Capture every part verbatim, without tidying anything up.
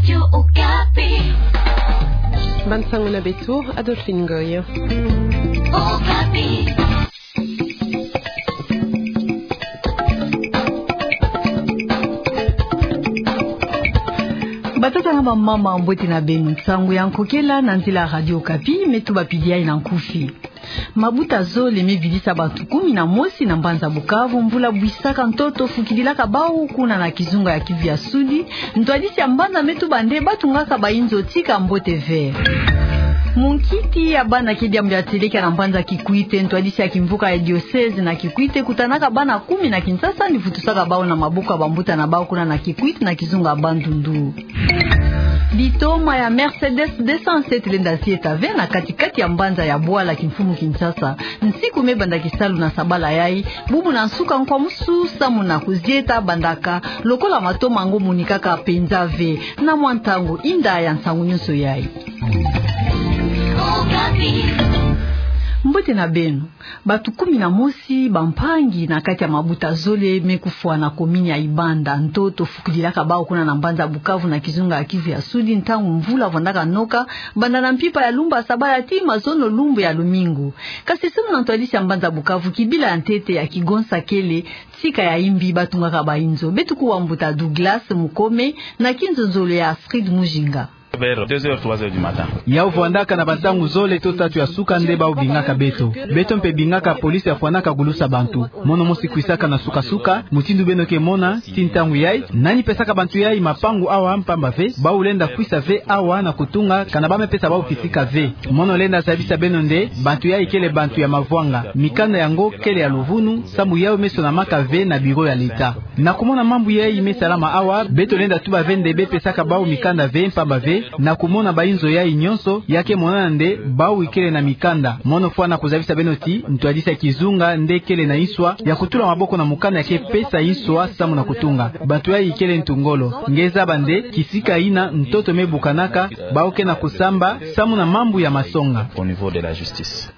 Radio Okapi. Bansango na beto, Adolphine Ngoy. Okapi. Batata na bamama, mbote na beno. Nsangu ya nkokela na nzila ya Radio Okapi, me tubapidi yayi na nkufi. Mabuta zole me vidisa bantu kumi na mosi na mbanza Bukavu, mvula bwisaka ntoto fukidilaka bawu kuna na kizunga ya Kivu ya Sudi. Ntwadisi ya mbanza me tuba nde batungaka bayinzo tika mbote ve. Munkiti ya bana ke diambu ya teleka na mbanza Kikwit. Ntwadisi ya kimvuka ya diocèse na Kikwit kutanaka bana kumi na Kinshasa, ni vutusaka bawu na maboko ya bambuta na bawu kuna na Kikwit na kizunga ya Bandundu. Bitoma ya Mercedes deux cent sept lenda zieta ve na kati-kati ya mbanza ya Bwala, kimfumu Kinshasa. Nsiku me banda kisalu na sabala yayi, bubu na nsuka nkwamusu samu na kuzieta bandaka, lokola matoma yango monikaka penza ve. Na mwa ntangu, inda ya nsangu nyonso yayi. Mbote na beno. Bantu kumi na mosi bampangi na kati ya mabuta zole me kufwa na komini ya Ibanda. Ntoto fukidilaka bawu kuna na mbanza Bukavu na kizunga ya Kivu ya Sudi, ntangu mvula vandaka noka, banda na mpimpa ya lumbu ya sabala tii mazono lumbu ya lumingu. Kasi samu na ntwadisi ya mbanza Bukavu, kibila ya ntete ya kigonsa kele, tika ya imbi batungaka bayinzo. Beto kuwa mbuta Douglas Mukome na kinzonzolo ya Astrid Mujinga. Vers deux heures, trois heures du matin. Yawu vandaka na bantangu zole to tatu ya suka nde bawu bingaka beto. Beto mpe bingaka police ya fwanaka gulusa bantu. Mono mosi kwisaka na suka-suka, mutindu beno ke mona, tii ntangu yayi, nani pesaka bantu yayi mapangu awa, mpamba ve, bawu lenda kwisa ve awa na kutunga, kana ba me pesa bawu kisika ve. Mono lenda zabisa beno nde, bantu yayi kele bantu ya mavwanga. Mikanda yango kele ya luvunu, samu yawu me sonamaka ve na bureau ya l'État. Na kumona mambu yayi me salama awa, beto lenda tuba ve nde be pesaka bawu mikanda ve, mpamba ve, na kumona bayinzo yayi nyonso, ya ke monana nde bawu ikele na mikanda. Mono fwana kuzabisa beno ti, ntwadisi ya kizunga nde kele na nswa ya kutula maboko na mukanda ya ke pesa nswa samu na kutunga. Bantu yayi ikele ntu ngolo. Nge zaba nde, kisika yina ntoto me bukanaka, bawu ke na kusamba samu na mambu ya masonga. Au niveau de la justice.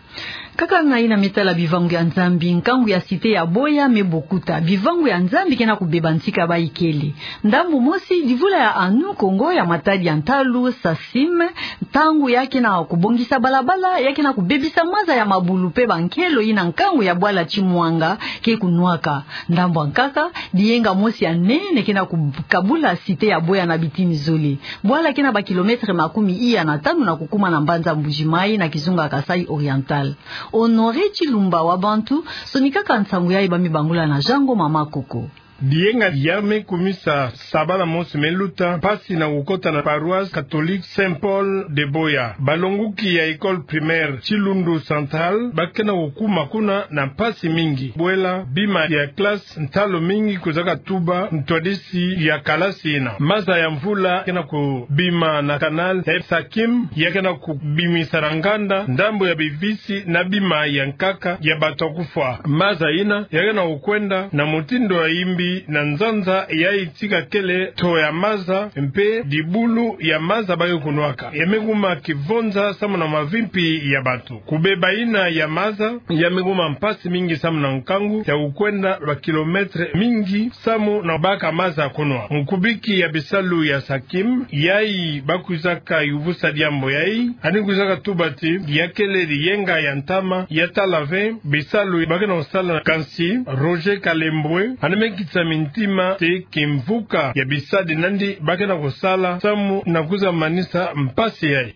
Kaka na yina me tala bivangu ya Nzambi, nkangu ya Cité ya Boya me bokuta. Bivangu ya Nzambi ke na kubeba ntika bayi kele. Ndambu mosi, divula ya Anu Kongo ya matadi ya ntalu, SACIM, ntangu ya ke na kubongisa balabala, ya ke na kubebisa maza ya mabulu mpe bankelo yina nkangu ya bwala Chimwanga ke kunwaka. Ndambu ya nkaka, diyenga mosi ya nene ke na kukabula Cité ya Boya na bitini zole. Bwala ke na ba kilomètre makumi iya na tanu na kukuma na mbanza Mbuji-Mayi na kizunga Kasaï Oriental. Honoré Tshilumba wa bantu sonikaka nsangu yayi, ba me bangula na Jean Ngoma Makoko. Diyenga ya me kumisa sabala mosi me luta, mpasi na kukota na paroisse catholique Saint Paul de Boya. Balonguki ya école primaire Tshilundu Central ba ke na kukuma kuna na mpasi mingi. Bwela bima ya classe ntalu mingi kwizaka tuba ntwadisi ya kalasi yina. Maza ya mvula ke na kubima na canal ya SACIM, ya ke na kubimisa na nganda ndambu ya bivisi na bima ya nkaka ya bantu ya kufwa. Maza yina ya ke na kukwenda na mutindu ya imbi na nzanza yayi tika kele nto ya maza mpe dibulu ya maza ba ke kunwaka. Ya me kuma kivonza samu na mavimpi ya bantu. Kubeba yina ya maza, ya me kuma mpasi mingi samu na nkangu ya kukwenda ba kilomètre mingi samu na baka maza kunwa. Mukubiki ya bisalu ya SACIM, yayi ba kwizaka yuvusa diambu yayi, ani kwizaka tuba ti, ya kele diyenga ya ntama, ya tala ve bisalu ba ke na kusala, kansi Roger Kalembwe ani me kisa mintima ti kimvuka ya bisadi nandi ba ke na kusala samu na kwiza manisa mpasi yayi.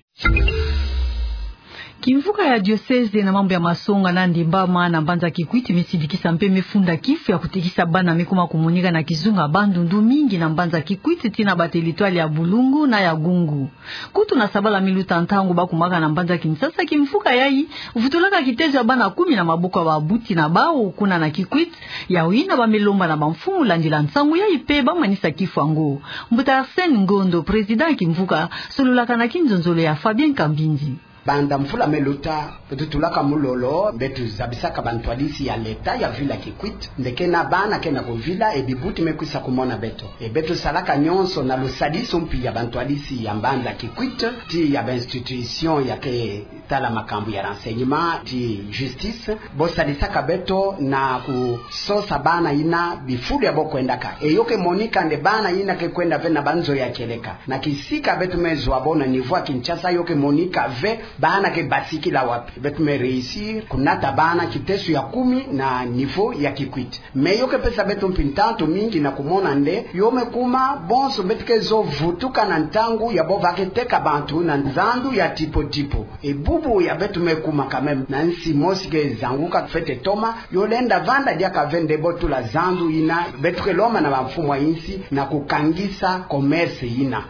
Kimvuka ya diocèse na mambu ya masonga na ndembama na mbanza Kikwit me sidikisa mpe me funda kifu ya kutekisa bana me kuma kumoneka na kizunga Bandundu, mingi na mbanza Kikwit tii na ba territoire ya Bulungu na ya Gungu. Kutu na sabala me luta, ntangu ba kumaka na mbanza Kinshasa, kimvuka yayi vutulaka kitezo ya bana kumi na maboko ya babuti na bawu kuna na Kikwit. Yawu yina ba me lomba na bamfumu landila nsangu yayi mpe ba manisa kifu yango. Mbuta Arsène Ngondo, président ya kimvuka, sololaka na kinzonzolo ya Fabien Kambindi. Banda mvula me luta, beto tulaka mu lolo, beto zabisaka bantwadisi ya leta ya vila Kikwit, nde ke na bana ke na kuvila, e bibuti me kwisa kumona beto. E beto salaka nyonso na lusadisu mpi ya bantwadisi ya mbanza Kikwit, tii ya ba institution ya ke tala makambu ya renseignement, tii justice, bo sadisaka beto na kusosa bana yina bifulu ya bo kwendaka. E yo ke monika nde bana yina ke kwenda ve na banzo ya kieleka. Na kisika beto me zwa bo na niveau ya Kinshasa, yo ke monika ve bana ke basikila wapi. Beto me réussir kunata bana kiteso ya kumi na niveau ya Kikwit. Mais yo ke pesa beto mpi ntantu mingi na kumona nde yo me kuma bonso beto ke zo vutuka na ntangu ya bo va ke teka bantu na nzandu ya tipo tipo. E bubu ya beto me kuma quand même na nsi mosi ke zanguka fwete toma, yo lenda vanda diaka ve nde bo tula zandu yina, beto ke lomba na bamfumu ya nsi na kukangisa commerce yina.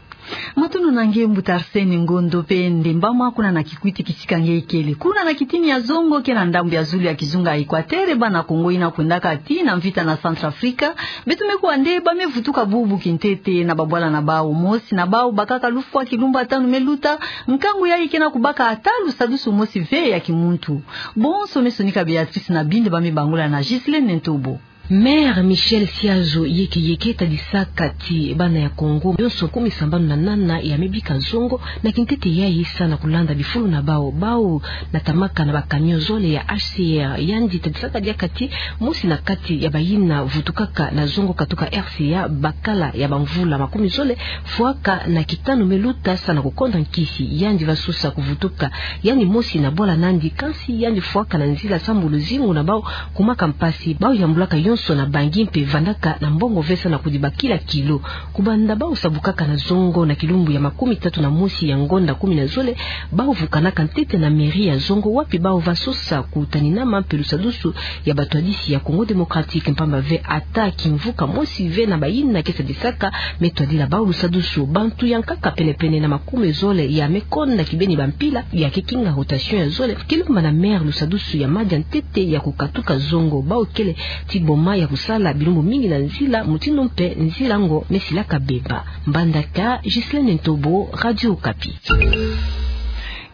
Matondo na nge mbuta Arsène Ngondo, mpe ndembama kuna na Kikwit kisika nge ikele. Kuna na kitini ya zongo ke na ndambu ya zulu ya kizunga ya Equateur, bana Kongo yina kwendaka tii na mvita na Centrafrique, beto me kuwa nde ba me vutuka bubu kintete na babwala na bawu. Mosi na bawu bakaka lufwa kilumbu tanu me luta, nkangu yayi ke na kubaka ata lusadusu mosi ve ya kimuntu. Bonso me sonika Béatrice Nabindi, ba me bangula na Ghislaine Ntobo. Maire Michel Siazo Yeke Yeke tadisaka ti bana ya Kongo yonso kumi sambanu na nana ya me bika zongo na kintete yayi sa na kulanda bifulu na bawu. Bawu natamaka na ba camion zole ya H C R. Yandi tadisaka diaka ti mosi na kati ya bayina vutukaka na zongo katuka R C A bakala ya bamvula makumi zole, fwaka na kitanu me luta sa na kukonda nkisi. Yandi va sosa kuvutuka yandi mosi na bwala nandi, kansi yandi fwaka na nzila sambu luzingu na bawu kumaka mpasi. Bawu yambulaka yonso na bangi mpe vandaka na mbongo ve sa na kudibakila kilo. Kubanda bawu sabukaka na zongo na kilumbu ya makumi tatu na mosi ya ngonda kumi na zole, bawu vukanaka ntete na mairie ya zongo, wapi bawu va sosa kutaninama mpe lusadusu ya batwadisi ya Congo Démocratique, mpamba ve ata kimvuka mosi ve na bayina ke sadisaka me twadila bawu lusadusu. Bantu ya nkaka pene-pene na makumi zole ya me konda kibeni bampila ya ke kinga rotation ya zole, ke lomba na maire lusadusu ya madia ntete ya kukatuka zongo. Bawu kele ti boma ya kusala bilumbu mingi na nzila, mutindu mpe nzila yango me silaka beba. Mbandaka, Ghislaine Ntobo, Radio Okapi.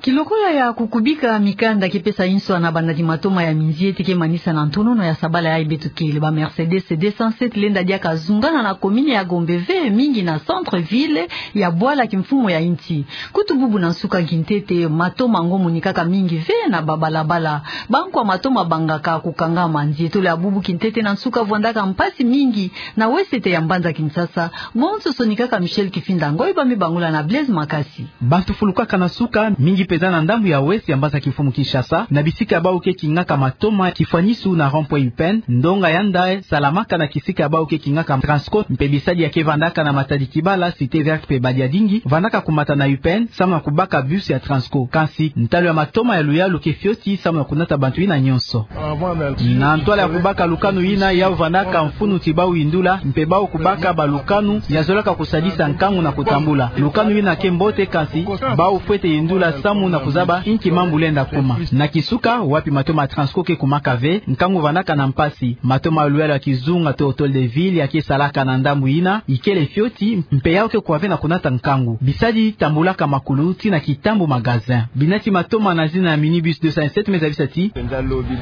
Kilokola ya kukubika mikanda ke pesa inswa na banadi matoma ya minzieti ke manisa na ntonono ya sabala yayi beto kele, ba Mercedes deux cent sept lenda diaka zungana na commune ya Gombe ve mingi na centre-ville ya bwala kimfumu ya insi. Kutu bubu na nsuka kintete, matoma yango monikaka mingi ve na babalabala. Bankwa matoma bangaka kukangama. Nzietolo ya bubu kintete na nsuka vwandaka mpasi mingi na wesete ya mbanza Kinshasa. Bonso sonikaka Michel Kifinda Ngoy, ba me bangula na Blaise Makasi. Bantu fulukaka na nsuka, mingi mpenza na ndambu ya west ya mbanza kimfumu Kinshasa, na bisika ya bawu ke kingaka matoma, kifwanisu na rond-point U P N, ndonga ya nda salamaka na kisika ya bawu ke kingaka Transco, mpe bisadi ya ke vandaka na Matadi Kibala, Cité Verte mpe Badiadingi, vandaka kumata na U P N, samu na kubaka bus ya Transco. Kansi, ntalu ya matoma ya luyalu ke fioti, samu na kunata bantu yina nyonso. Na ntwala ya kubaka lukanu yina, yawu vandaka mfunu ti bawu yindula, mpe bawu kubaka balukanu ya zolaka kusadisa nkangu na kutambula. Lukanu yina ke mbote, kansi bawu fwete yindula samu na kuzaba inki mambu lenda kuma. Na kisuka, wapi matoma ya Transco ke kumaka ve, nkangu vandaka na mpasi. Matoma ya luyalu ya kizunga to hôtel de ville ya ke salaka na ndambu yina, ikele fioti, mpe yawu ke kuwa ve na kunata nkangu. Bisadi tambulaka makulu tii na kitambu magasin. Binati matoma na zina ya minibus deux cent sept me zabisa ti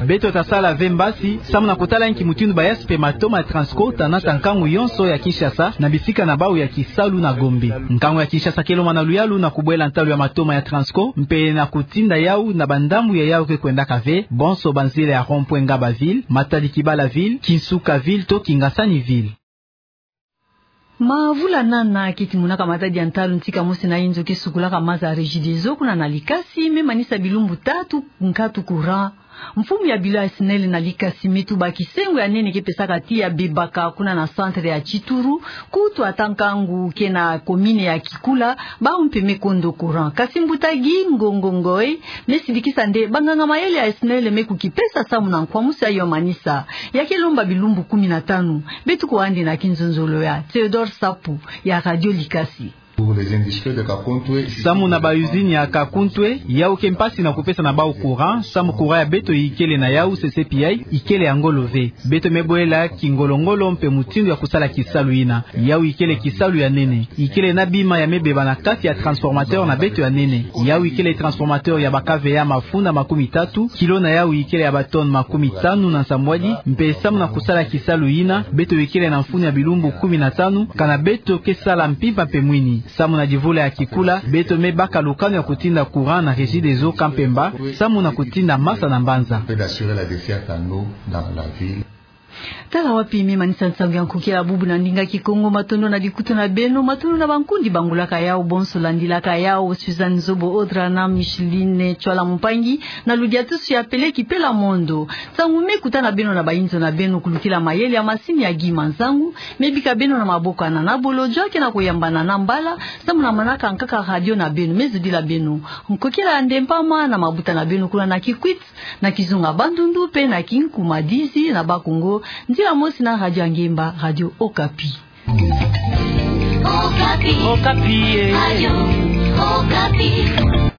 beto ta sala ve mbasi, samu na kutala inki mutindu bayasi mpe matoma ya Transco ta nata nkangu yonso ya Kinshasa na bisika na bawu ya kisalu na Gombe. Nkangu ya Kinshasa ke lomba na luyalu na kubwela ntalu ya matoma ya Transco, mpe na kutinda yawu na bandambu ya yawu ke kwendaka ve, bonso banzila ya rond-point Ngabaville, Matadi Kibala ville, Kinsuka ville to Kingasani ville. Mavula nana keti monaka matadi ya ntalu ntika mosi na inzo ke sukulaka maza ya Regideso kuna na Likasi, me manisa bilumbu tatu nkatu courant. Mfumu ya bilo ya SNEL na Likasi me tuba kisengo ya nene ke pesaka ti ya bebaka kuna na centre ya Tchituru, kutu ata nkangu ke na commune ya Kikula, bawu mpe me kondo courant. Kasi mbuta Guy Ngongo Ngoy me sidikisa nde banganga mayele ya SNEL me kukipesa samu na nkwamusi ya yo manisa. Ya ke lomba bilumbu kumi na tanu. Beto kuwa yandi na kinzonzolo ya Théodore Sapu ya Radio Likasi. Samu na ba usine ya Kakuntwe, yau ke mpasi na kupesa na bau courant, samu courant ya beto ikele na yau, C C P I, ikele ya ngolo ve. Beto me bwela kingolo-ngolo mpe mutindu ya kusala kisalu yina. Yau ikele kisalu ya nene. Ikele na bima ya me beba na kati ya transformateur na beto ya nene. Yau ikele transformateur ya baka veya mafunda makumi tatu, kilo na yau ikele ya ba tonnes makumi tanu na nsambwadi, mpe samu na kusala kisalu yina, beto ikele na mfunu ya bilumbu kumi na tanu, kana beto ke sala mpimpa mpe mwini. Samu na divula ya kikula, beto me baka lukanu ya kutinda courant na Regideso Camp Pemba, samu na kutinda masa na mbanza. Tala wapi me manisa nsangu ya nkokila bubu na ndinga Kikongo. Matondo na bikutu na beno, matondo na bankundi bangulaka yau bonso, landilaka yau, Suzanne Zobo Odra na Micheline Chwala Mumpangi, na ludiatusu ya Pele Kipela Mondo. Nsangu me kutana beno na bainzo na beno kulukila mayele ya masini ya Guy Manzangu, me bika beno na maboko ya Nana Bolodjwa, ke na kuyambana na mbala, samu na manaka nkaka radio na beno. Me zodila beno nkokila ya ndempa ma na mabuta na beno kuna na Kikwit, na kizunga Bandundu, mpe na kinkuma Didi na Bakongo. Nzila mosi na radio ya ngemba, Radio Okapi. Okapi. Okapi, eh. Radio Okapi.